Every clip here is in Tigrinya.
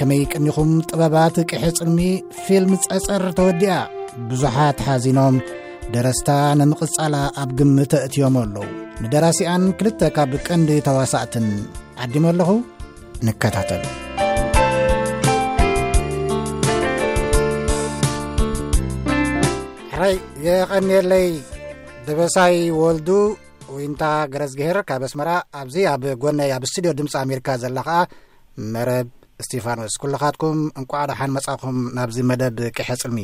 ከመይ ቀኒኹም? ጥበባት ቅሐ ጽልሚ ፊልም ጸጸር ተወዲኣ። ብዙሓት ሓዚኖም፣ ደረስታ ንምቕጻላ ኣብ ግምት ኣእትዮሞ ኣለዉ። ንደራሲኣን ክልተ ካብ ቀንዲ ተዋሳእትን ዓዲመ ኣለኹ። ንከታተል። ሕራይ የቐንየለይ። ደበሳይ ወልዱ፣ ዊንታ ገረዝግሄር ካብ ኣስመራ፣ ኣብዚ ኣብ ጎነይ ኣብ ስቱድዮ ድምፂ ኣሜሪካ ዘላ ኸኣ መረብ እስቲፋኖስ። ኩልኻትኩም እንቋዕ ደሓን መጻኹም ናብዚ መደብ ቅሐ ጽልሚ።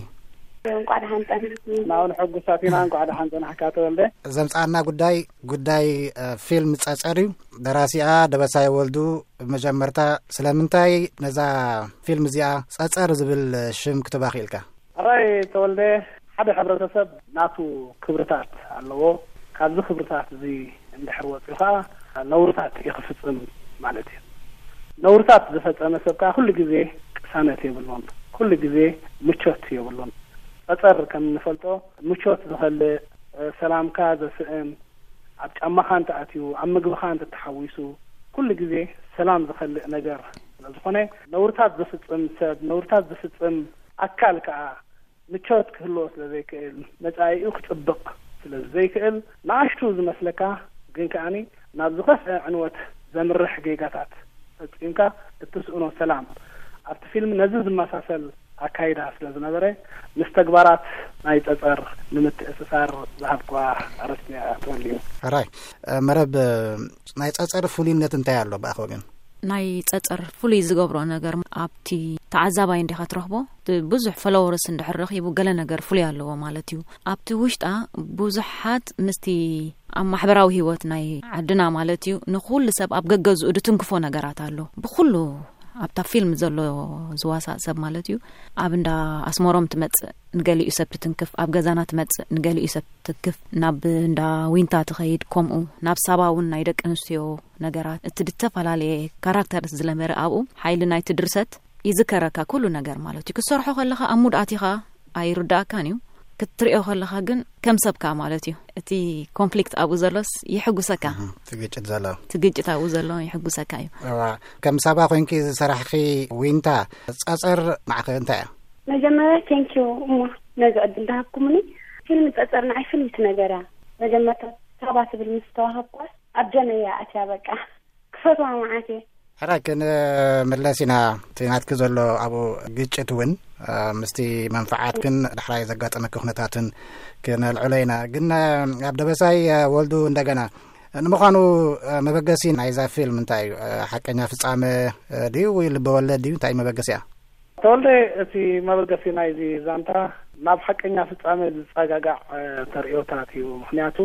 እንቋዕ ደሓን ጸናሕኩም። ንዓኡ ንሕጉሳት ኢና። እንቋዕ ደሓን ጸናሕካ ተወልደ። ዘምጻና ጉዳይ፣ ጉዳይ፣ እ፣ ፊልም ጸጸር እዩ። ደራሲኣ ደበሳይ ወልዱ። ብመጀመርታ ስለምንታይ ነዛ ፊልም እዚኣ ጸጸር ዝብል ሽም ክትባ ክኢልካ? ሕራይ ተወልደ፣ ሓደ ሕብረተሰብ ናቱ ክብርታት ኣለዎ። ካብዚ ክብርታት እዚ እንድሕር ወፂኡ ከዓ ነውርታት እዩ ክፍፅም ማለት እዩ። ነውርታት ዝፈፀመ ሰብ ከዓ ኩሉ ግዜ ቅሳነት የብሉን፣ ኩሉ ግዜ ምቾት የብሉን። ጸጸር ከም እንፈልጦ ምቾት ዝኸልእ፣ ሰላምካ ዘስእን፣ ኣብ ጫማኻ እንተኣትዩ፣ ኣብ ምግብኻ እንተተሓዊሱ፣ ኩሉ ግዜ ሰላም ዝኸልእ ነገር ስለዝኾነ፣ ነውርታት ዝፍጽም ሰብ፣ ነውርታት ዝፍጽም ኣካል ከኣ ምቾት ክህልዎ ስለ ዘይክእል፣ መጻኢኡ ክጽብቕ ስለ ዘይክእል፣ ንኣሽቱ ዝመስለካ ግን ከኣኒ ናብ ዝኸፍአ ዕንወት ዘምርሕ ጌጋታት ፈጺምካ እትስእኖ ሰላም፣ ኣብቲ ፊልም ነዚ ዝመሳሰል ኣካይዳ ስለ ዝነበረ፣ ምስ ተግባራት ናይ ጸጸር ንምትእስሳር ዝሃብክዋ ኣርእስቲ እያ ተወሊዑ። ሕራይ፣ እ፣ መረብ፣ እ፣ ናይ ጸጸር ፍሉይነት እንታይ ኣሎ ብኣኻ ወገን? ናይ ጸጸር ፍሉይ ዝገብሮ ነገር ኣብቲ ተዓዛባይ እንዲኻ ትረኽቦ። እቲ ብዙሕ ፎሎወርስ እንድሕር ረኺቡ ገለ ነገር ፍሉይ ኣለዎ ማለት እዩ። ኣብቲ ውሽጣ ብዙሓት ምስቲ ኣብ ማሕበራዊ ህይወት ናይ ዓድና ማለት እዩ፣ ንኹሉ ሰብ ኣብ ገገዝኡ ድትንክፎ ነገራት ኣሎ። ብኹሉ ኣብታ ፊልም ዘሎ ዝዋሳእ ሰብ ማለት እዩ። ኣብ እንዳ ኣስመሮም ትመጽእ፣ ንገሊኡ ሰብ ትትንክፍ፣ ኣብ ገዛና ትመጽእ፣ ንገሊኡ ሰብ ትትንክፍ፣ ናብ እንዳ ዊንታ ትኸይድ፣ ከምኡ ናብ ሳባ እውን ናይ ደቂ ኣንስትዮ ነገራት። እቲ ዝተፈላለየ ካራክተርስ ዝለመረ ኣብኡ ሓይሊ ናይቲ ድርሰት ይዝከረካ ኩሉ ነገር ማለት እዩ። ክትሰርሖ ከለኻ ኣብ ሙድ ኣቲኻ ኣይርዳእካን እዩ። ክትሪኦ ከለኻ ግን ከም ሰብካ ማለት እዩ። እቲ ኮንፍሊክት ኣብኡ ዘሎስ ይሕጉሰካ። እህ፣ እቲ ግጭት ዘሎ። እቲ ግጭት ኣብኡ ዘሎ ይሕጉሰካ እዩ። እዋ፣ ከም ሳባ ኮይንኪ ዝሰራሕኺ ዊንታ፣ ጸጸር ንዓኺ እንታይ እያ? መጀመርያ ቴንኪዩ እሞ ነዚ ዕድል ዝሃብኩምኒ። ፊልም ጸጸር ንዓይ ፍልይቲ ነገር እያ። መጀመርታ ሳባ ትብል ምስ ተዋሃብኳስ ኣብ ደመይ እያ ኣትያ በቃ። ክፈትዋ መዓት እየ። ሕራይ ክንምለስ ኢና። እቲ ናትኪ ዘሎ ኣብኡ ግጭት እውን፣ እ፣ ምስቲ መንፈዓትክን ዳሕራይ ዘጋጠመኪ ኩነታትን ክነልዕሎ ኢና። ግን፣ እ፣ ኣብ ደበሳይ፣ እ፣ ወልዱ እንደገና፣ ንምዃኑ፣ እ፣ መበገሲ ናይዛ ፊልም እንታይ እዩ? እ፣ ሓቀኛ ፍጻመ፣ እ፣ ድዩ ወይ ልበወለድ ድዩ? እንታይ እዩ መበገሲኣ? ተወልደ፣ እቲ መበገሲ ናይዚ ዛንታ ናብ ሓቀኛ ፍጻመ ዝጸጋጋዕ፣ እ፣ ተርእዮታት እዩ። ምኽንያቱ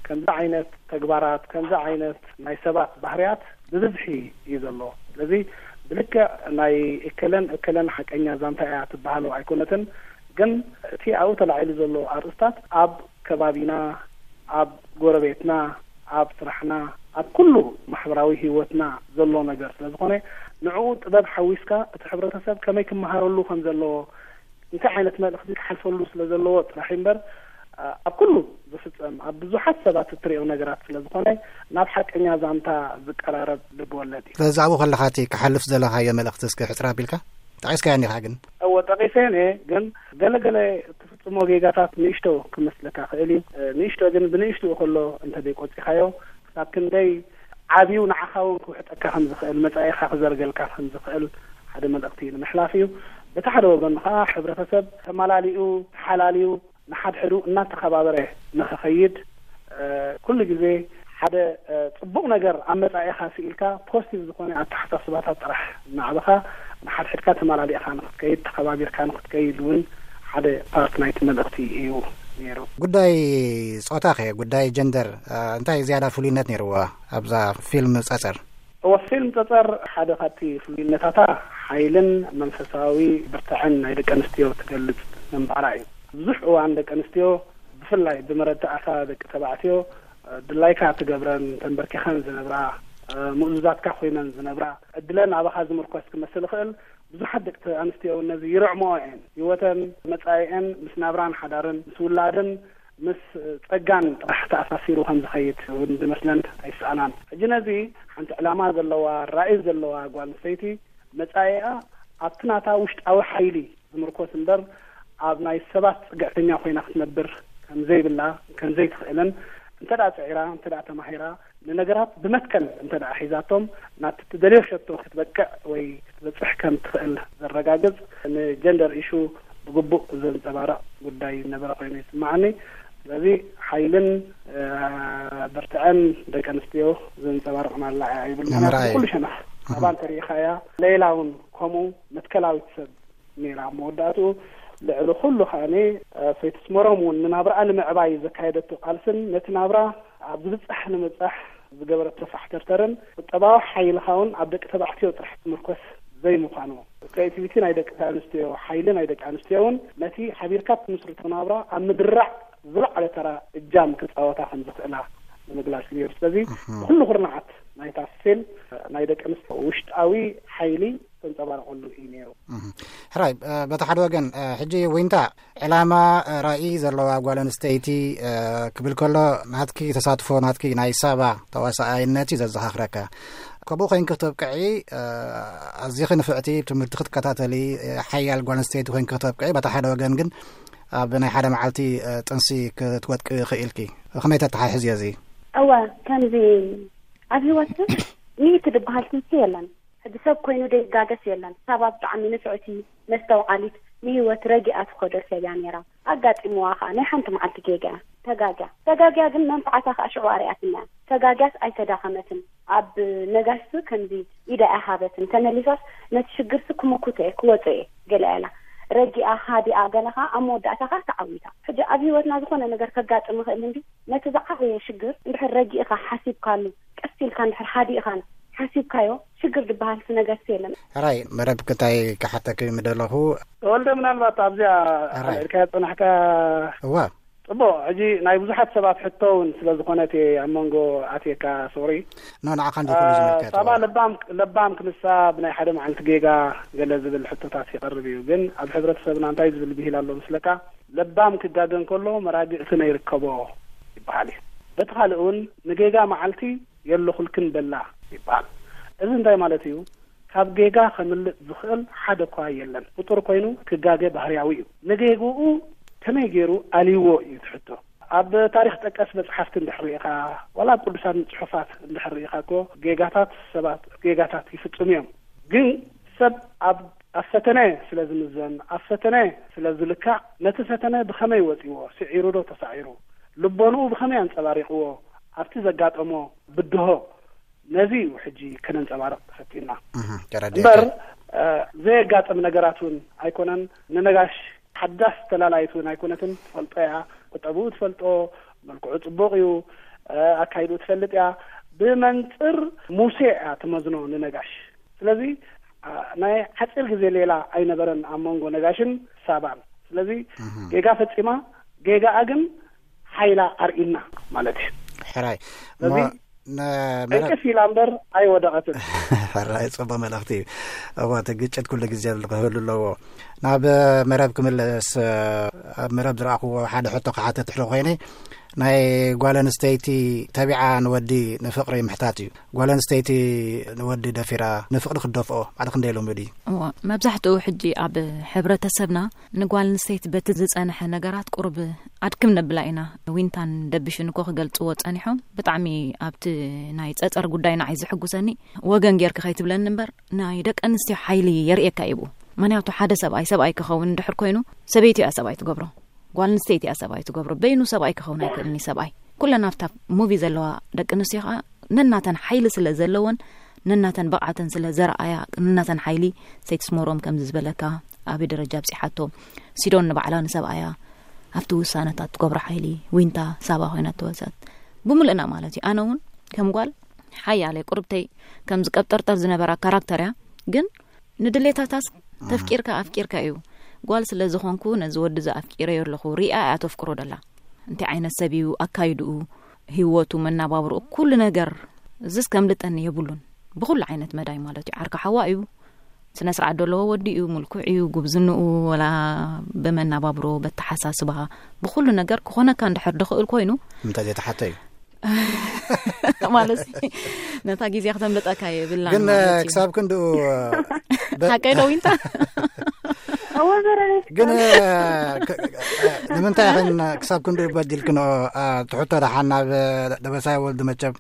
ከምዚ ዓይነት ተግባራት፣ ከምዚ ዓይነት ናይ ሰባት ባህርያት ብብዝሒ እዩ ዘሎ። ስለዚ ብልክዕ ናይ እከለን እከለን ሓቀኛ ዛንታ እያ ትበሃሉ ኣይኮነትን፣ ግን እቲ ኣብኡ ተላዒሉ ዘሎ ኣርእስታት ኣብ ከባቢና፣ ኣብ ጎረቤትና፣ ኣብ ስራሕና፣ ኣብ ኩሉ ማሕበራዊ ህይወትና ዘሎ ነገር ስለ ዝኾነ፣ ንዕኡ ጥበብ ሓዊስካ እቲ ሕብረተሰብ ከመይ ክመሃረሉ ከም ዘለዎ፣ እንታይ ዓይነት መልእኽቲ ክሓልፈሉ ስለ ዘለዎ ጥራሕ እምበር፣ ኣ-፣ ኣብ ኩሉ ዝፍጸም፣ ኣብ ብዙሓት ሰባት እትሪኦ ነገራት ስለ ዝኾነ፣ ናብ ሓቀኛ ዛንታ ዝቀራረብ ልብ ወለድ እዩ። ስለዚ ኣብኡ ከለኻ እቲ ክሓልፍ ዘለኻዮ መልእኽቲ እስከ ሕጽር ኣቢልካ ጠቒስካዮ እንዲኻ ግን? እወ፣ ጠቒሰ እየ፣ ግን ገለ ገለ እትፍጽሞ ጌጋታት ንእሽቶ ክመስለካ ክእል እዩ። እ፣ ንእሽቶ ግን ብንእሽትኡ ከሎ እንተ ዘይቆጺኻዮ፣ ክሳብ ክንደይ ዓብዩ ንዓኻ እውን ክውሕጠካ ከም ዝኽእል፣ መጻኢኻ ክዘርገልካ ከም ዝኽእል ሓደ መልእኽቲ ንምሕላፍ እዩ። በቲ ሓደ ወገኑ ከኣ ሕብረተሰብ ተመላሊኡ፣ ተሓላልዩ፣ ንሓድሕዱ እናተኸባበረ ንኽኸይድ፣ እ፣ ኩሉ ግዜ ሓደ፣ እ፣ ጽቡቕ ነገር ኣብ መጻኢኻ ስኢልካ ፖዚቲቭ ዝኾነ ኣተሓሳስባታት ጥራሕ እናዕበኻ ንሓድሕድካ ተመላሊእኻ ንኽትከይድ፣ ተኸባቢርካ ንኽትከይድ እውን ሓደ ፓርት ናይቲ መልእኽቲ እዩ ነይሩ። ጉዳይ ጾታ ኸ፣ ጉዳይ ጀንደር፣ እ፣ እንታይ ዝያዳ ፍሉይነት ነይርዎ ኣብዛ ፊልም ጸጸር? እወ፣ ፊልም ጸጸር ሓደ ካብቲ ፍሉይነታታ ሓይልን መንፈሳዊ ብርታዐን ናይ ደቂ ኣንስትዮ ትገልጽ ምንባራ እዩ። ብዙሕ እዋን ደቂ ኣንስትዮ ብፍላይ ብመረዳእታ ደቂ ተባዕትዮ፣ እ፣ ድላይካ ትገብረን፣ ተንበርኪኸን ዝነብራ፣ እ፣ ምእዙዛትካ ኮይነን ዝነብራ፣ ዕድለን ኣባኻ ዝምርኮስ ክመስል ይኽእል። ብዙሓት ደቂ ኣንስትዮ እውን ነዚ ይርዕምኦ እየን። ህይወተን፣ መጻኢአን ምስ ናብራን ሓዳርን፣ ምስ ውላድን፣ ምስ ጸጋን ጥራሕ ተኣሳሲሩ ከም ዝኸይድ እውን ዝመስለን ኣይሰኣናን። ሕጂ ነዚ ሓንቲ ዕላማ ዘለዋ፣ ራእይ ዘለዋ ጓል ኣንስተይቲ መጻኢኣ ኣብቲ ናታ ውሽጣዊ ሓይሊ ዝምርኮስ እምበር፣ ኣብ ናይ ሰባት ጽግዕተኛ ኮይና ክትነብር ከም ዘይብላ፣ ከም ዘይትኽእልን፣ እንተ ደኣ ጽዒራ፣ እንተ ደኣ ተማሂራ፣ ንነገራት ብመትከል እንተ ደኣ ሒዛቶም፣ ናብቲ ትደልዮ ሸቶ ክትበቅዕ ወይ ክትበጽሕ ከም ትኽእል ዘረጋግጽ፣ ንጀንደር ኢሹ ብግቡእ ዘንጸባርቕ ጉዳይ ነበረ ኮይኑ ይስምዓኒ። ስለዚ ሓይልን፣ እ፣ ብርትዐን ደቂ ኣንስትዮ ዘንጸባርቕ ማላያ ይብል። ምኽንያቱ ንምርኣይ። ብኩሉ ሸነኽ፣ ኣባን ተሪኢኻያ፣ ሌላ እውን ከምኡ መትከላዊት ሰብ ነይራ። ኣብ መወዳእትኡ ልዕሊ ኩሉ ከኣኒ፣ እ፣ ሰይቲ ስመሮም እውን ንናብርኣ ንምዕባይ ዘካየደቶ ቃልስን ነቲ ናብራ ኣብ ዝብጻሕ ንምብጻሕ ዝገበረቶ ፋሕተርተርን ቁጠባዊ ሓይልኻ እውን ኣብ ደቂ ተባዕትዮ ጥራሕ ትምርኮስ ዘይምዃኑ፣ ክሬቲቪቲ ናይ ደቂ ኣንስትዮ፣ ሓይሊ ናይ ደቂ ኣንስትዮ እውን ነቲ ሓቢርካ ትምስርቶ ናብራ ኣብ ምድራዕ ዝለዓለ ተራ እጃም ክጻወታ ከም ዝኽእላ ንምግላጽ እዩ። ስለዚ እህ። ብኩሉ ኩርናዓት ናይታ ፊልም ናይ ደቂ ኣንስትዮ ውሽጣዊ ሓይሊ ተንጸባርቐሉ እዩ ነይሩ። እህ። ሕራይ፣ እ፣ በቲ ሓደ ወገን፣ እ፣ ሕጂ ዊንታ ዕላማ፣ እ፣ ራእይ ዘለዋ ጓል ኣንስተይቲ፣ እ፣ ክብል ከሎ ናትኪ ተሳትፎ፣ ናትኪ ናይ ሳባ ተዋሳኣይነት እዩ ዘዘኻኽረካ። ከምኡ ኮይንኪ ክትብቅዒ፣ እ፣ ኣዚኺ ንፍዕቲ ትምህርቲ ክትከታተሊ፣ እ፣ ሓያል ጓል ኣንስተይቲ ኮይንኪ ክትብቅዒ፣ በቲ ሓደ ወገን ግን ኣብ ናይ ሓደ መዓልቲ፣ እ፣ ጥንሲ ክትወድቂ ክኢልኪ። ከመይ ተተሓሕዝዮ እዚ? እወ፣ ከምዚ ኣብ ህይወት ግን ሚእቲ ዝበሃል ትምህርቲ የለን። ሕጂ ሰብ ኮይኑ ደይጋገስ የለን። ሳባ ብጣዕሚ ንፍዕቲ፣ መስተውዓሊት፣ ንህይወት ረጊኣ ትኸዶ ሰብ እያ ነይራ። ኣጋጢምዋ ኸኣ ናይ ሓንቲ መዓልቲ ጌጋ እያ። ተጋግያ። ተጋግያ ግን መንፍዓታ ኸኣ ሽዑ ኣርኣያትና እያ። ተጋግያስ ኣይተዳኸመትን። ኣብ ነጋሽሲ ከምዚ ኢዳ እያ ሃበትን። ተመሊሳስ ነቲ ሽግርሲ ክምኩቶ እየ፣ ክወጾ እየ ገለ እያ ኢላ። ረጊኣ፣ ሃዲኣ፣ ገለ ኸኣ ኣብ መወዳእታ ኸኣ ተዓዊታ። ሕጂ ኣብ ህይወትና ዝኾነ ነገር ከጋጥም ይኽእል እንዲ፣ ነቲ ዝዓበየ ሽግር እንድሕር ረጊእኻ ሓሲብካሉ፣ ቀስ ኢልካ እንድሕር ሃዲእኻን ሓሲብካዮ፣ ሽግር ዝበሃል ነገርሲ የለን። ሕራይ፣ መረብ ክታይ ክሓተኪ ምደለኹ። ተወልደ፣ ምናልባት ኣብዚኣ ሕራይ። ኣልዕልካያ ጸናሕካ። እዋ። ጽቡቕ፣ ሕጂ ናይ ብዙሓት ሰባት ሕቶ እውን ስለ ዝኾነት እየ ኣብ መንጎ ኣትየካ፣ ሶሪ። ኖ፣ ንዓኻ እንዲ ኩሉ እ፣ ዝምልከት። ሳባ ለባም፣ ለባም ክንሳ ብናይ ሓደ መዓልቲ ጌጋ ገለ ዝብል ሕቶታት ይቐርብ እዩ። ግን ኣብ ሕብረተሰብና እንታይ ዝብል ብሂል ኣሎ ምስለካ? ለባም ክጋገ እንከሎ መራግእቲ ነይርከቦ ይበሃል እዩ። በቲ ካልእ እውን ንጌጋ መዓልቲ የለኹልክን በላ ይበሃል። እዚ እንታይ ማለት እዩ? ካብ ጌጋ ከምልጥ ዝኽእል ሓደ እኳ የለን። ፍጡር ኮይኑ ክጋገ ባህርያዊ እዩ። ንጌግኡ ከመይ ገይሩ ኣልይዎ እዩ እቲ ሕቶ። ኣብ ታሪኽ ጠቀስ መጽሓፍቲ እንድሕር ርኢኻ፣ ዋላ ኣብ ቅዱሳን ጽሑፋት እንድሕር ርኢኻ እኮ ጌጋታት ሰባት ጌጋታት ይፍጽሙ እዮም። ግን ሰብ ኣብ፣ ኣብ ፈተነ ስለ ዝምዘን፣ ኣብ ፈተነ ስለ ዝልካዕ፣ ነቲ ፈተነ ብኸመይ ወጺዎ፣ ስዒሩ ዶ ተሳዒሩ፣ ልቦንኡ ብኸመይ ኣንጸባሪቕዎ፣ ኣብቲ ዘጋጠሞ ብድሆ፣ ነዚ እዩ ሕጂ ከነንጸባርቕ ፈቲና። እህ፣ ተረዲኤካ። እምበር፣ እ፣ ዘየጋጥም ነገራት እውን ኣይኮነን። ንነጋሽ ሓዳስ ተላላይት እውን ኣይኮነትን። ትፈልጦ እያ፣ ቁጠብኡ ትፈልጦ፣ መልክዑ ጽቡቕ እዩ፣ እ፣ ኣካይድኡ ትፈልጥ እያ። ብመንጽር ሙሴ እያ ትመዝኖ ንነጋሽ። ስለዚ፣ እ፣ ናይ ሓጺር ግዜ ሌላ ኣይነበረን ኣብ መንጎ ነጋሽን ሳባን። ስለዚ እህ። ጌጋ ፈጺማ፣ ጌጋኣ ግን ሓይላ ኣርኢና ማለት እዩ። ሕራይ። ስለዚ እሞ ነ-፣ መረ-፣ ቅልጥፍ ኢላ እምበር ኣይወደቐትን። ሕራይ፣ ጽቡቕ መልእኽቲ እዩ። እወ፣ እቲ ግጭት ኩሉ ግዜ ክህሉ ኣለዎ። ናብ መረብ ክምለስ፣ ኣብ መረብ ዝረኣኽዎ ሓደ ሕቶ ክሓትት ድሕሪ ኮይነ፣ ናይ ጓል ኣንስተይቲ ተቢዓ ንወዲ ንፍቕሪ ምሕታት እዩ። ጓል ኣንስተይቲ ንወዲ ደፊራ ንፍቕሪ ክትደፍኦ ባዕልኺ ክንደይ ልሙድ እዩ? እወ፣ መብዛሕትኡ ሕጂ ኣብ ሕብረተሰብና ንጓል ኣንስተይቲ በቲ ዝጸንሐ ነገራት ቁሩብ ኣድክም ነብላ ኢና። ዊንታን ደብሽን እኮ ክገልጽዎ ጸኒሖም። ብጣዕሚ ኣብቲ ናይ ጸጸር ጉዳይ ንዓይ ዝሕጉሰኒ፣ ወገን ጌርኪ ከይትብለኒ እምበር፣ ናይ ደቂ ኣንስትዮ ሓይሊ የርእየካ እዩ ብኡ። ምኽንያቱ ሓደ ሰብኣይ ሰብኣይ ክኸውን እንድሕር ኮይኑ፣ ሰበይቲ እያ ሰብኣይ ትገብሮ። ጓል ኣንስተይቲ እያ ሰብኣይ ትገብሮ። በይኑ ሰብኣይ ክኸውን ኣይክእልን እዩ ሰብኣይ። ኩለን ኣብታ ሙቪ ዘለዋ ደቂ ኣንስትዮ ኸኣ ነናተን ሓይሊ ስለ ዘለወን፣ ነናተን ብቕዓተን ስለ ዘርኣያ፣ ነናተን ሓይሊ፣ ሰይቲ ስመሮም ከምዚ ዝበለካ፣ ኣበይ ደረጃ ኣብጺሓቶ፣ ሲዶን ንባዕላ ንሰብኣያ ኣብቲ ውሳነታት ትገብሮ ሓይሊ፣ ዊንታ ሳባ ኮይና ተወሰት። ብምልእና ማለት እዩ። ኣነ እውን ከም ጓል ሓያለይ ቁርብተይ ከምዚ ቀብጠርጠር ዝነበራ ካራክተር እያ፣ ግን ንድሌታታስ ተፍቂርካ ኣፍቂርካ እዩ። ጓል ስለ ዝኾንኩ ነዚ ወዲ እዚ ኣፍቂረዮ ኣለኹ። ሪኣ እያ ተፍቅሮ ደላ። እንታይ ዓይነት ሰብ እዩ፣ ኣካይድኡ፣ ህይወቱ፣ መናባብርኡ፣ ኩሉ ነገር፣ እዝስ ከምልጠኒ የብሉን። ብኹሉ ዓይነት መዳይ ማለት እዩ። ዓርካ ሓዋ እዩ። ስነ ስርዓት ዘለዎ ወዲ እዩ፣ ምልኩዕ እዩ፣ ጉብዝንኡ፣ ወላ ብመናባብሮ፣ በተሓሳስባ፣ ብኹሉ ነገር ክኾነካ እንድሕር ድኽእል ኮይኑ፣ እንታይ ዘይተሓተ እዩ? ማለት ነታ ግዜ ክተምልጠካ የብላን ግን ማለት እዩ። ክሳብ ክንድኡ ሓቀይ ዶ ዊንታ? እወ፣ ዘረገ። ግን እ፣ ክ- እ፣ ንምንታይ ኸን ክሳብ ክንድኡ በዲልክንኦ? እ፣ ትሕቶ ደሓን ናብ ደበሳይ ወልዱ መቸም።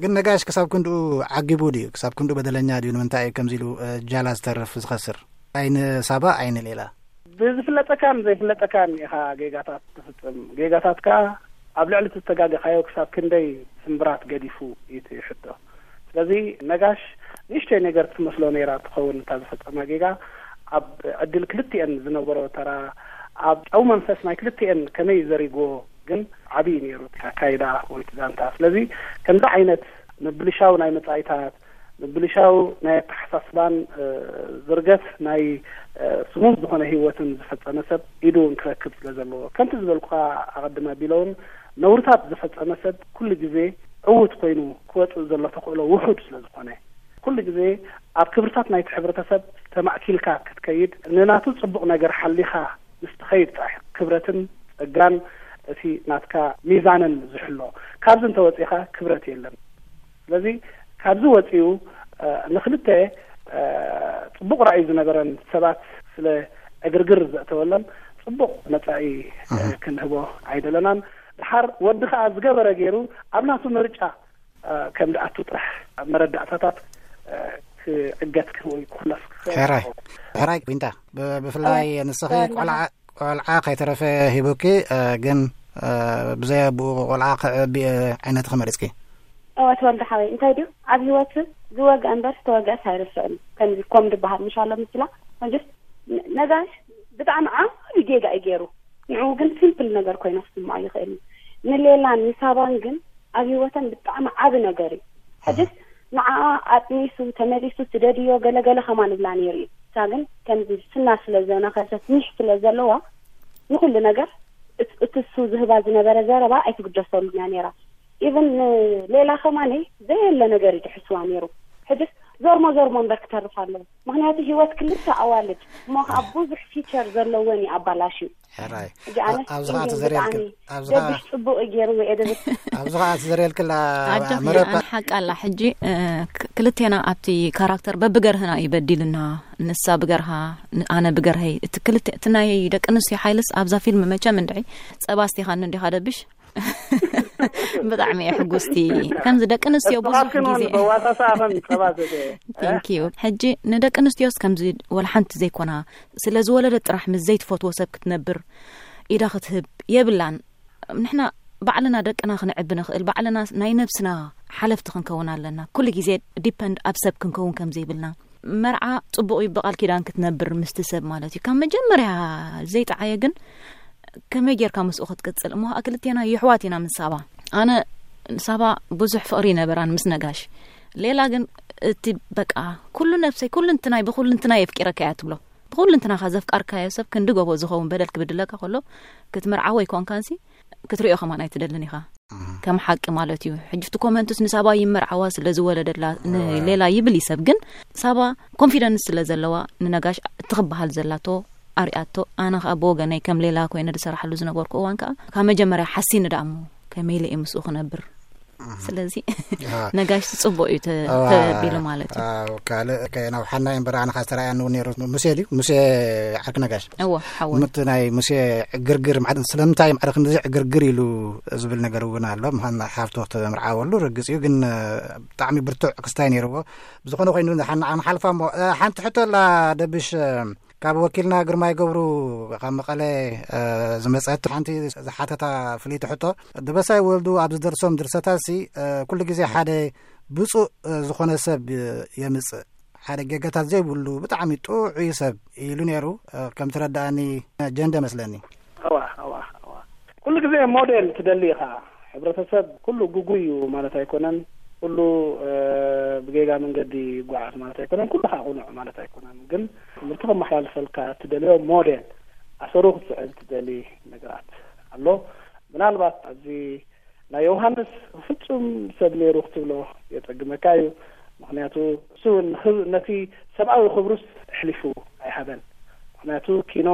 ግን ነጋሽ ክሳብ ክንድኡ ዓጊቡ ድዩ? ክሳብ ክንድኡ በደለኛ ድዩ? ንምንታይ እዩ ከምዚ ኢሉ እ፣ ጃላ ዝተርፍ ዝኸስር? ኣይን ሳባ ኣይን ሌላ። ብዝፍለጠካን ዘይፍለጠካን ኢኻ ጌጋታት ትፍጽም። ጌጋታትካ ኣብ ልዕሊ እቲ ዝተጋገኻዮ ክሳብ ክንደይ ስምብራት ገዲፉ እዩ እቲ ሕቶ። ስለዚ ነጋሽ ንእሽተይ ነገር ትመስሎ ነይራ ትኸውን እታ ዝፈጸማ ጌጋ። ኣብ ዕድል ክልቲኤን ዝነበሮ ተራ፣ ኣብ ጨው መንፈስ ናይ ክልቲኤን ከመይ ዘሪጎ ግን ዓብዪ ነይሩ እቲ ኣካይዳ ወይ እቲ ዛንታ። ስለዚ ከምዚ ዓይነት ምብልሻው ናይ መጻኢታት፣ ምብልሻው ናይ ኣተሓሳስባን እ፣ ዝርገት ናይ እ፣ ስሙዝ ዝኾነ ህይወትን ዝፈጸመ ሰብ ኢዱ እውን ክረክብ ስለ ዘለዎ፣ ከምቲ ዝበልኩኻ ኣቐድመ ቢለውን፣ ነውርታት ዝፈጸመ ሰብ ኩሉ ግዜ ዕዉት ኮይኑ ክወጽእ ዘሎ ተኽእሎ ውሑድ ስለ ዝኾነ፣ ኩሉ ግዜ ኣብ ክብርታት ናይቲ ሕብረተሰብ ተማእኪልካ ክትከይድ፣ ንናቱ ጽቡቕ ነገር ሓሊኻ ምስ ትኸይድ ጥራሕ ክብረትን ጸጋን እቲ ናትካ ሚዛንን ዝሕሎ። ካብዚ እንተወጺኻ ክብረት የለን። ስለዚ ካብዚ ወጺኡ እ፣ ንክልተ እ፣ ጽቡቕ ራእይ ዝነበረን ሰባት ስለ ዕግርግር ዘእተወለን ጽቡቕ መጻኢ እ፣ ክንህቦ ኣይደለናን። ድሓር ወዲ ከኣ ዝገበረ ገይሩ ኣብ ናቱ ምርጫ እ፣ ከም ዝኣቱ ጥራሕ ኣብ መረዳእታታት እ፣ ክዕገት ወይ ክኹለፍ ክኽእል ሕራይ። ይኸውን። ሕራይ ዊንታ፣ ብ- ብፍላይ ንስኺ ቆልዓ ቆልዓ ከይተረፈ ሂቡኪ፣ እ፣ ግን እ፣ ብዘይ ኣቦኡ ቆልዓ ከዕቢ እ፣ ዓይነትኺ መሪጽኪ። እወ፣ ተወልደ ሓወይ፣ እንታይ ድዩ፣ ኣብ ህይወት ዝወግአ እምበር ዝተወግአስ ኣይርስዕን እዩ። ከምዚ ኮም ዝበሃል ምሻሎ ምስላ፣ መጀስ ነ- ነጋሽ ብጣዕሚ ዓቢ ጌጋ እዩ ገይሩ። ንዕኡ ግን ሲምፕል ነገር ኮይኑ ክስምዖ ይኽእል እዩ። ንሌላን ንሳባን ግን ኣብ ህይወተን ብጣዕሚ ዓቢ ነገር እዩ። ሕጅስ ንዓኣ ኣጥኒሱ ተመሊሱ ስደድዮ ገለገለ ከማን እብላ ነይሩ እዩ። እሳ ግን ከምዚ ስና ስለ ዘነኸሰት ኒሕ ስለ ዘለዋ ንኹሉ ነገር እት- እቲ እሱ ዝህባ ዝነበረ ዘረባ ኣይትግደሰሉን እያ ነይራ። ኢቨን ንሌላ ከማነይ ዘየለ ነገር እዩ ድሕስዋ ነይሩ። ሕጅስ ዞርሞ ዞርሞ እምበር ክተርፍ ኣለዎ። ምኽንያቱ ህይወት ክልተ ኣዋልድ እሞ ከዓ ብዙሕ ፊቸር ዘለወን እዩ ኣባላሽዩ። ሕራይ። ሕጂ ኣነ ኣብዚ ከዓ እንዲን ተዘርየልክን- ብጣዕሚ ኣብዚ ከዓ ደብሽ ጽቡቕ እዩ ገይርዎ እየ ደብል። ኣብዚ ከዓ ተዘርየልክላ ኣጆኺ መረባ ኣነ ሓቂ ኣላ። ሕጂ እ፣ ክ- ክልቴና ኣብቲ ካራክተር በብገርህና እዩ በዲልና። ንሳ ብገርሃ ን- ኣነ ብገርሀይ። እቲ ክልተ እቲ ናይ ደቂ ኣንስትዮ ሓይልስ ኣብዛ ፊልም መቸም እንድዒ ጸባ ስቲኻኒ እንዲኻ ደብሽ። ብጣዕሚ እየ ሕጉስቲ። ከምዚ ደቂ ኣንስትዮ ብዙሕ ኣስኻትክን እውን ግዜ በዋሳሳ ኣኸን ጸባ ዘተ። Thank you። ሕጂ ንደቂ ኣንስትዮስ ከምዚ ወላ ሓንቲ ዘይኮና ስለ ዝወለደት ጥራሕ ምስ ዘይትፈትዎ ሰብ ክትነብር ኢዳ ክትህብ የብላን። ንሕና ባዕልና ደቅና ክንዕቢ ንኽእል፣ ባዕልና ናይ ነብስና ሓለፍቲ ክንከውን ኣለና። ኩሉ ግዜ ዲፐንድ ኣብ ሰብ ክንከውን ከም ዘይብልና። መርዓ ጽቡቕ እዩ፣ ብቓል ኪዳን ክትነብር ምስቲ ሰብ ማለት እዩ። ካብ መጀመርያ ዘይጠዓየ ግን ከመይ ጌርካ ምስኡ ክትቅጽል? እሞ ኸኣ ክልቴና የሕዋት ኢና ምስ ሳባ። ኣነ ሳባ ብዙሕ ፍቕሪ ይነበራን ምስ ነጋሽ። ሌላ ግን እቲ በቃ ኩሉ ነብሰይ፣ ኩሉ እንትናይ፣ ብኩሉ እንትናይ የፍቂረካ እያ ትብሎ። ብኩሉ እንትናኻ ዘፍቃርካዮ ሰብ ክንዲ ጎቦ ዝኸውን በደል ክብድለካ ከሎ ክትምርዓዎ ይኮንካንሲ ክትሪኦ ከማን ኣይትደልን ኢኻ። ከም ሓቂ ማለት እዩ። ሕጂ እቲ ኮመንትስ ንሳባ ይመርዓዋ ስለ ዝወለደላ ንሌላ ይብል እዩ ሰብ፣ ግን ሳባ ኮንፊደንስ ስለ ዘለዋ ንነጋሽ እቲ ክበሃል ዘላቶ ኣርያቶ። ኣነ ከዓ ብወገነይ ከም ሌላ ኮይነ ዝሰራሓሉ ዝነበርኩ እዋን ከዓ ካብ መጀመርያ ሓሲኒ ደኣ እሞ ከመይ ኢለ እየ ምስኡ ክነብር? ስለዚ ነጋሽ ጽቡቕ እዩ ተ- ተቢሉ ማለት እዩ። ካልእ ከየናውሓና እምበር ኣነ ከዓ ዝተረኣየኒ እውን ነይሩ። ሙሴ ድዩ? ሙሴ ዓርኪ ነጋሽ። እዎ፣ ሓወ። ምት ናይ ሙሴ ዕግርግር ማዕረ ስለምንታይ ማዕረ ክንድዚ ዕግርግር ኢሉ ዝብል ነገር እውን ኣሎ። ምዃን ሓፍቶ ተምርዓወሉ ርግጽ እዩ፣ ግን ብጣዕሚ ብርቱዕ ክስታይ ነይርዎ። ብዝኾነ ኮይኑ ንሓና ንሓልፋ እሞ ሓንቲ ሕቶ ኣላ ደብሽ፣ ካብ ወኪልና ግርማይ ገብሩ ካብ መቐለ ዝመጸት ሓንቲ ዝሓተታ ፍልይቲ ሕቶ፣ ደበሳይ ወልዱ ኣብ ዝደርሶም ድርሰታሲ ኩሉ ግዜ ሓደ ብፁእ ዝኾነ ሰብ የምጽእ፣ ሓደ ጌጋታት ዘይብሉ ብጣዕሚ ጥዑይ ሰብ ኢሉ ነይሩ። ከም ትረዳእኒ ጀንደ መስለኒ። እዋ እዋ እዋ ኩሉ ግዜ ሞዴል ትደሊ ኢኻ። ሕብረተሰብ ኩሉ ግጉይ እዩ ማለት ኣይኮነን። ኩሉ ብጌጋ መንገዲ ይጓዓዝ ማለት ኣይኮነን። ኩሉ ከዓ ቁኑዕ ማለት ኣይኮነን። ግን ትምህርቲ ከመሓላልፈልካ እትደልዮ ሞዴል ኣሰሩ ክትስዕብ ትደሊ ነገራት ኣሎ። ምናልባት ኣብዚ ናይ ዮሃንስ ፍጹም ሰብ ነይሩ ክትብሎ የጸግመካ እዩ። ምኽንያቱ እሱ እውን ነቲ ሰብኣዊ ክብሩስ ኣሕሊፉ ኣይሃበን። ምኽንያቱ ኪኖ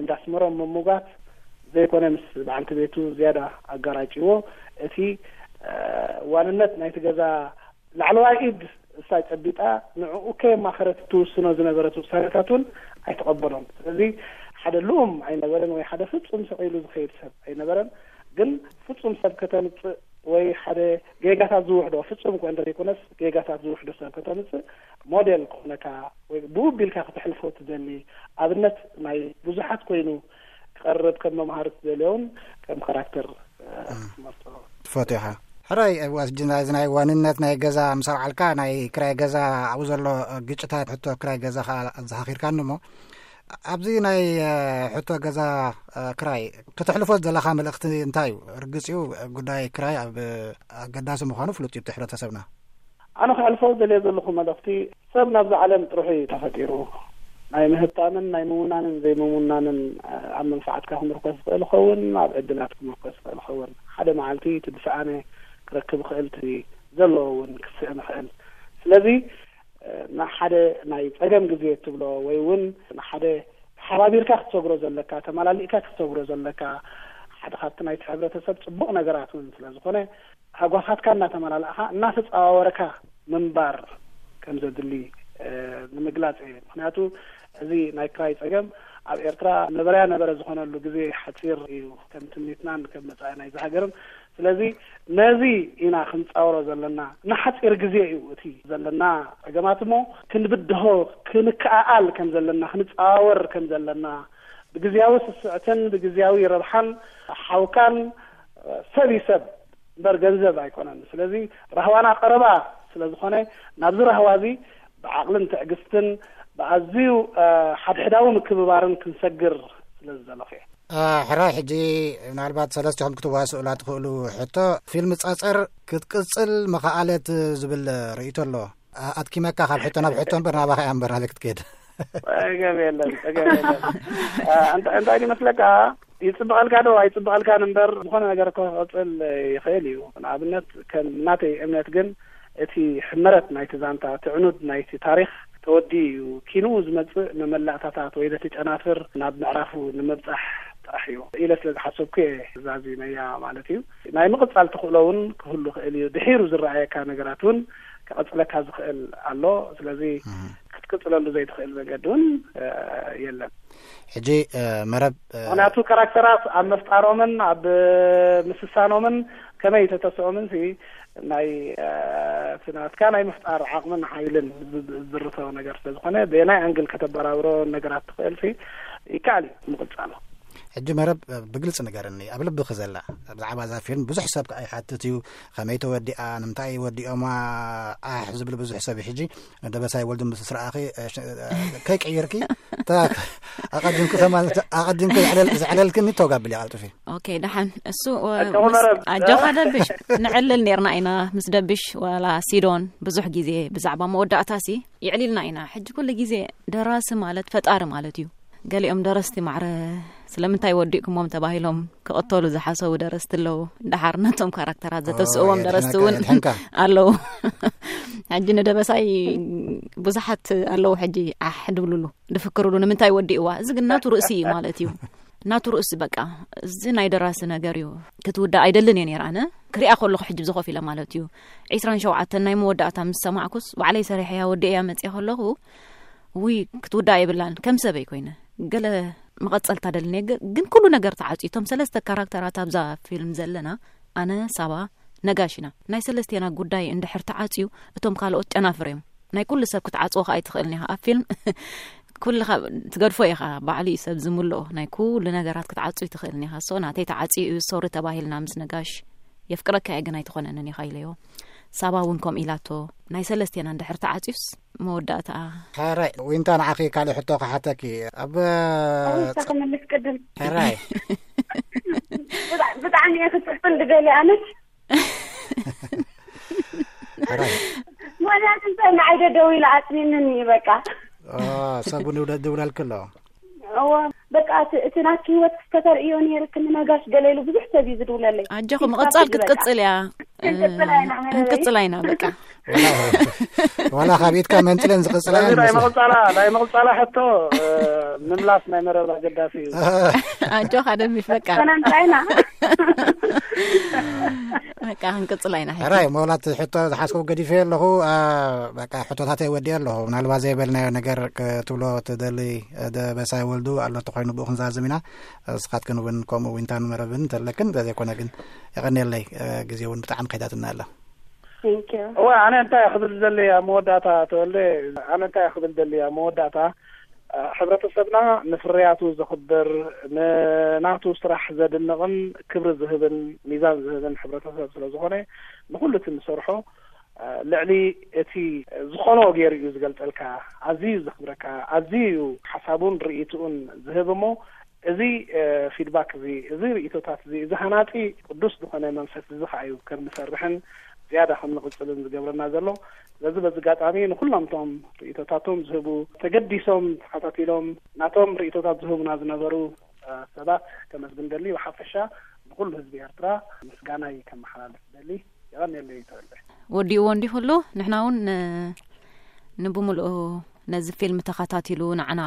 እንዳስመሮም ምሙጋት ዘይኮነ ምስ በዓልቲ ቤቱ ዝያዳ ኣጋራጭዎ እቲ ዋንነት ናይቲ ገዛ ላዕለዋይ ኢድ እሳ ጨቢጣ ንዕኡ ከየማኸረት ትውስኖ ዝነበረት ውሳነታት እውን ኣይተቐበሎን። ስለዚ ሓደ ልኡም ኣይነበረን ወይ ሓደ ፍጹም ስቕ ኢሉ ዝኸይድ ሰብ ኣይነበረን። ግን ፍጹም ሰብ ከተምጽእ ወይ ሓደ ጌጋታት ዝውሕዶ፣ ፍጹም እኳ እንተዘይኮነስ ጌጋታት ዝውሕዶ ሰብ ከተምጽእ ሞዴል ክኾነካ ወይ ብኡ ቢልካ ክተሕልፎ ትደሊ ኣብነት ናይ ብዙሓት ኮይኑ ክቐርብ ከም መምሃሪ ትደልዮን ከም ካራክተር ክትመርጾ ትፈትዮ ኢኻ። ሕራይ ዋስ ጅና እዚ ናይ ዋንነት ናይ ገዛ ምስ ኣልዓልካ ናይ ክራይ ገዛ ኣብኡ ዘሎ ግጭታት ሕቶ ክራይ ገዛ ከዓ ኣዘኻኺርካኒ እሞ ኣብዚ ናይ ሕቶ ገዛ ክራይ ከተሕልፎ ዘለኻ መልእኽቲ እንታይ እዩ? ርግጽ እዩ ጉዳይ ክራይ ኣብ ኣገዳሲ ምዃኑ ፍሉጥ እዩ እቲ ሕብረተሰብና። ኣነ ክሕልፎ ዘልየ ዘለኹ መልእኽቲ ሰብ ናብዚ ዓለም ጥርሑ እዩ ተፈጢሩ። ናይ ምህብታምን ናይ ምውናንን ዘይምውናንን ኣብ መንፋዓትካ ክምርኮስ ዝኽእል ይኸውን፣ ኣብ ዕድላት ክምርኮስ ዝኽእል ይኸውን። ሓደ መዓልቲ እቲ ዝሰኣነ ክረክብ ይኽእል፣ እቲ ዘለዎ እውን ክስእን ይኽእል። ስለዚ ንሓደ ናይ ጸገም ግዜ እትብሎ ወይ እውን ንሓደ ተሓባቢርካ ክትሰግሮ ዘለካ፣ ተመላሊእካ ክትሰግሮ ዘለካ ሓደ ካብቲ ናይቲ ሕብረተሰብ ጽቡቕ ነገራት እውን ስለ ዝኾነ ሃጓፋትካ እናተመላላእኻ እናተጸዋወርካ ምንባር ከም ዘድሊ ንምግላጽ እየ። ምክንያቱ እዚ ናይ ክራይ ጸገም ኣብ ኤርትራ ነበረያ ነበረ ዝኾነሉ ግዜ ሓጺር እዩ፣ ከም ትምኒትናን ከም መጻኢ ናይዚ ሃገርን። ስለዚ ነዚ ኢና ክንጻወሮ ዘለና። ንሓጺር ግዜ እዩ እቲ ዘለና ጸገማት እሞ ክንብድሆ ክንከኣኣል ከም ዘለና፣ ክንጻዋወር ከም ዘለና፣ ብግዝያዊ ስስዕትን ብግዝያዊ ረብሓን ሓውካን ሰብ እዩ ሰብ እምበር ገንዘብ ኣይኮነን። ስለዚ ራህዋና ቀረባ ስለ ዝኾነ ናብዚ ራህዋ እዚ ብዓቕልን ትዕግስትን ብኣዝዩ ሓድሕዳዊ ምክብባርን ክንሰግር ስለ ዝደለኹ እየ። ሕራይ ሕጂ ምናልባት ሰለስቲኹም ክትዋስኡላ ትኽእሉ ሕቶ፣ ፊልም ጸጸር ክትቅጽል መኸኣለት ዝብል ርእይቶ ኣሎ። ኣድኪመካ ካብ ሕቶ ናብ ሕቶ እምበር ናባኻ እያ እምበር ናበይ ክትከይድ? ጸገም የለን፣ ጸገም የለን። እንታይ ይመስለካ፣ ይጽብቐልካ ዶ ኣይጽብቐልካን እምበር ዝኾነ ነገር ክቕጽል ይኽእል እዩ። ንኣብነት ከም ናተይ እምነት ግን እቲ ሕመረት ናይቲ ዛንታ፣ እቲ ዕኑድ ናይቲ ታሪኽ ተወዲኡ እዩ። ኪንኡ ዝመጽእ መመላእታታት ወይ ዘቲ ጨናፍር ናብ ምዕራፉ ንምብጻሕ ጥራሕ እዩ ኢለ ስለ ዝሓሰብኩ እየ ዛዚመያ ማለት እዩ። ናይ ምቕጻል ተኽእሎ እውን ክህሉ ይኽእል እዩ። ድሒሩ ዝረኣየካ ነገራት እውን ክቐጽለካ ዝኽእል ኣሎ። ስለዚ ክትቅጽለሉ ዘይትኽእል መገዲ እውን የለን። ሕጂ መረብ ምክንያቱ ካራክተራት ኣብ ምፍጣሮምን ኣብ ምስሳኖምን ከመይ ተተስኦምን ሲ ናይ እቲ ናትካ ናይ ምፍጣር ዓቕምን ሓይልን ዝርተው ነገር ስለ ዝኾነ ብናይ ኣንግል ከተበራብሮ ነገራት ትኽእል ሲ ይከኣል እዩ ምቕጻሉ። ሕጂ መረብ ብግልፂ ንገርኒ ኣብ ልብኺ ዘላ ብዛዕባ እዛ ፊልም ብዙሕ ሰብ ከዓ ይሓትት እዩ። ከመይ ተወዲኣ ንምንታይ ወዲኦማ ኣሕ ዝብል ብዙሕ ሰብ እዩ። ሕጂ ደበሳይ ወልዱ ምስ ረኣኺ ከይቀየርኪ ኣቐዲምኪ ከማን ኣቐዲምኪ ዘዕለልክኒ ተውጋብልያ ቀልጥፊ። ኦኬ ደሓን እሱ ኣጆኻ ደብሽ። ንዕልል ነርና ኢና ምስ ደብሽ ዋላ ሲዶን ብዙሕ ግዜ ብዛዕባ መወዳእታ ሲ ይዕሊልና ኢና። ሕጂ ኩሉ ግዜ ደራሲ ማለት ፈጣሪ ማለት እዩ። ገሊኦም ደረስቲ ማዕረ ስለምንታይ ወዲእኩሞም ተባሂሎም ክቐተሉ ዝሓሰቡ ደረስቲ ኣለዉ። ደሓር ነቶም ካራክተራት ዘተስእዎም ደረስቲ እውን ኣለዉ። ሕጂ ንደበሳይ ብዙሓት ኣለዉ ሕጂ ዓሕ ድብልሉ ድፍክርሉ ንምንታይ ወዲእዋ። እዚ ግን ናቱ ርእሲ እዩ ማለት እዩ። ናቱ ርእሲ በቃ እዚ ናይ ደራሲ ነገር እዩ። ክትውዳእ ኣይደልን እየ ነይረ ኣነ ክሪኣ ከለኹ ሕጂ ብዝኾፍ ኢለ ማለት እዩ። ዕስራን ሸውዓተን ናይ መወዳእታ ምስ ሰማዕኩስ ባዕለይ ሰሪሐያ ወዲእያ መፅየ ከለኹ ውይ ክትውዳእ የብላን ከም ሰበይ ኮይነ ገለ መቐፀልታ ደልኒ ግን ኩሉ ነገር ተዓፅዩ እቶም ሰለስተ ካራክተራት ኣብዛ ፊልም ዘለና ኣነ ሳባ ነጋሽ ኢና። ናይ ሰለስቴና ጉዳይ እንድሕር ተዓፅዩ እቶም ካልኦት ጨናፍር እዮም። ናይ ኩሉ ሰብ ክትዓፅዎ ከዓ ኣይትኽእልን ኢኻ ኣብ ፊልም ኩልኻ ትገድፎ ኢኻ። ባዕሉ እዩ ሰብ ዝምልኦ ናይ ኩሉ ነገራት ክትዓፅዩ ትኽእልን ኢኻ። ሶ ናተይ ተዓፅዩ እዩ ሶሪ ተባሂልና ምስ ነጋሽ የፍቅረካ እየ ግን ኣይትኾነንን ኢኻ ኢለዮ። ሳባ እውን ከምኡ ኢላቶ ናይ ሰለስቴና እንድሕር ተዓፅዩስ መወዳእታ። ሕራይ ዊንታ ንዓኺ ካልእ ሕቶ ክሓተኪ ኣብ ኣውሳ ክምልስ ቅድም ሕራይ ብጣዕሚ እየ ክፅብን ድደሊ ኣነስ ሕራይ ምክንያቱ እንታይ ንዓይ ደደው ኢለ ኣፅኒንን እዩ በቃ ሰቡ ድውለልክ ኣሎ እወ በቃ እቲ ናትኪ ህይወት ክስተተርእዮ ነይርክኒ ነጋሽ ገለ ኢሉ ብዙሕ ሰብ እዩ ዝድውለለይ ኣጆኹ ምቕጻል ክትቅጽል እያ ክንቅጽል ኣይና ክንቅጽል ኣይና በቃ ዋላ ካብ ኢድካ መንጥለን ዝቕጽላ ስለዚ ናይ መቕጻላ ናይ መቕጻላ ሕቶ ምምላስ ናይ መረብ ኣገዳሲ እዩ። ኣጆኻ ደሚፍ፣ በቃ ሰላም ጥራይና። በቃ ክንቅጽላ ኢና። ሕጂ ሕራይ መውላት ሕቶ ዝሓስኩ ገዲፈ ኣለኹ። ኣ፣ በቃ ሕቶታተይ ወዲኤ ኣለኹ። ምናልባት ዘይበልናዮ ነገር ክትብሎ ትደሊ፣ እ፣ ደበሳይ ወልዱ ኣሎ ተኮይኑ ብኡ ክንዛዝም ኢና። እስኻትክን እውን ከምኡ ዊንታን መረብን ተለክን፣ እንተዘይኮነ ግን የቐንየለይ፣ እ፣ ግዜ እውን ብጣዕሚ ከይዳትና ኣላ። Thank you። እወ፣ ኣነ እንታይ ክብል ደሊ ኣብ መወዳእታ ተወልደ፣ ኣነ እንታይ ክብል ደሊ ኣብ መወዳእታ፣ እ፣ ሕብረተሰብና ንፍርያቱ ዘኽብር፣ ንናቱ ስራሕ ዘድንቕን ክብሪ ዝህብን ሚዛን ዝህብን ሕብረተሰብ ስለ ዝኾነ፣ ንኹሉ እቲ ንሰርሖ፣ እ፣ ልዕሊ እቲ ዝኾኖ ገይሩ እዩ ዝገልጸልካ፣ ኣዝዩ ዘኽብረካ፣ ኣዝዩ እዩ ሓሳቡን ርእይትኡን ዝህብ እሞ፣ እዚ፣ እ፣ ፊድባክ እዚ፣ እዚ ርእይቶታት እዚ፣ እዚ ሃናጺ ቅዱስ ዝኾነ መንፈስ እዚ ኸዓ እዩ ከም ንሰርሕን ዝያዳ ከም ንቕጽልን ዝገብረና ዘሎ። ስለዚ በዚ ኣጋጣሚ ንኹሎም እቶም ርእይቶታቶም ዝህቡ፣ ተገዲሶም ተኸታቲሎም ናቶም ርእይቶታት ዝህቡና ዝነበሩ፣ እ፣ ሰባት ከመስግን ደሊ። ብሓፈሻ ንኹሉ ህዝቢ ኤርትራ ምስጋናይ ከመሓላልፍ ደሊ። የቐንየለይ ተወልደ። ወዲእዎ እንዲኹሉ ንሕና እውን ን-፣ ንብምልኡ ነዚ ፊልም ተኸታቲሉ ንዓና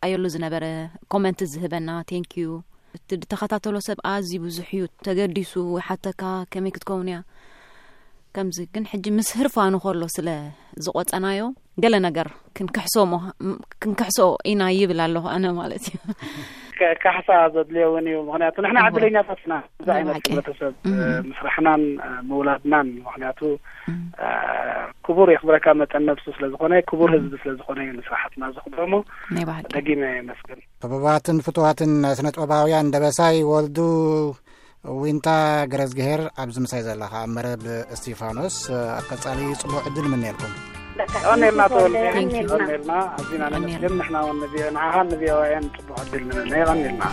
ኣየሉ ዝነበረ ኮመንት ዝህበና፣ ቴንክ ዩ። እቲ ዝተኸታተሎ ሰብ ኣዝዩ ብዙሕ እዩ፣ ተገዲሱ ይሓተካ፣ ከመይ ክትከውን እያ ከምዚ። ግን ሕጂ ምስ ህርፋኑ ከሎ ስለ ዝቆጸናዮ ገለ ነገር ክንክሕሶ ሞ-፣ ም-፣ ክንክሕሶ ኢና ይብል ኣለኹ ኣነ ማለት እዩ። ከ-፣ ካሕሳ ዘድልዮ እውን እዩ። ምኽንያቱ ንሕና እወ። ዕድለኛታት ኢና። እዚ ናይ ዓይነት ብሓቂ። ሕብረተሰብ፣ እም። እ፣ ምስራሕናን፣ እ፣ ምውላድናን። ምኽንያቱ፣ እም። እ፣ ክቡር የኽብረካ መጠን ነብሱ ስለ ዝኾነ፣ ክቡር ህዝቢ ስለ ዝኾነ እዩ ንስራሕትና ዘኽብሮ እሞ፣ ናይ ብሓቂ። ደጊመ የመስግን። ክቡባትን ፍቱዋትን ስነ ጥበባውያን ደበሳይ ወልዱ፣ ዊንታ ገረዝግሄር፣ ኣብዚ ምሳይ ዘለኻ ኣብ መረብ እስቲፋኖስ፣ ኣብ ቀጻሊ ጽቡቕ ዕድል ምንየልኩም። ቀኔልና ተወልደ፣ Thank you። ቀኔልና። ኣዚና ነመስግን። ንሕና እውን ንቪ-፣ ንዓኻን ንቪኦኤን ጽቡቕ ዕድል ንምነ። ቀኔልና።